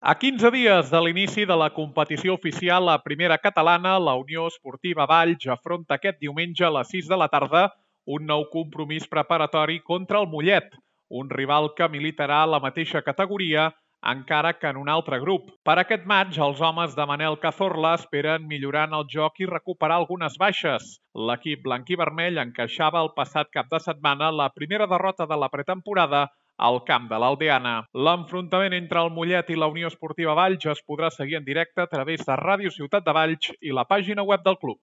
A 15 dies de l'inici de la competició oficial a Primera Catalana, la Unió Esportiva Valls afronta aquest diumenge a les 6 de la tarda un nou compromís preparatori contra el Mollet, un rival que militarà a la mateixa categoria, encara que en un altre grup. Per aquest maig, els homes de Manel Cazorla esperen millorar en el joc i recuperar algunes baixes. L'equip blanc-i-vermell encaixava el passat cap de setmana la primera derrota de la pretemporada al camp de l'Aldeana. L'enfrontament entre el Mollet i la Unió Esportiva Valls es podrà seguir en directe a través de Ràdio Ciutat de Valls i la pàgina web del club.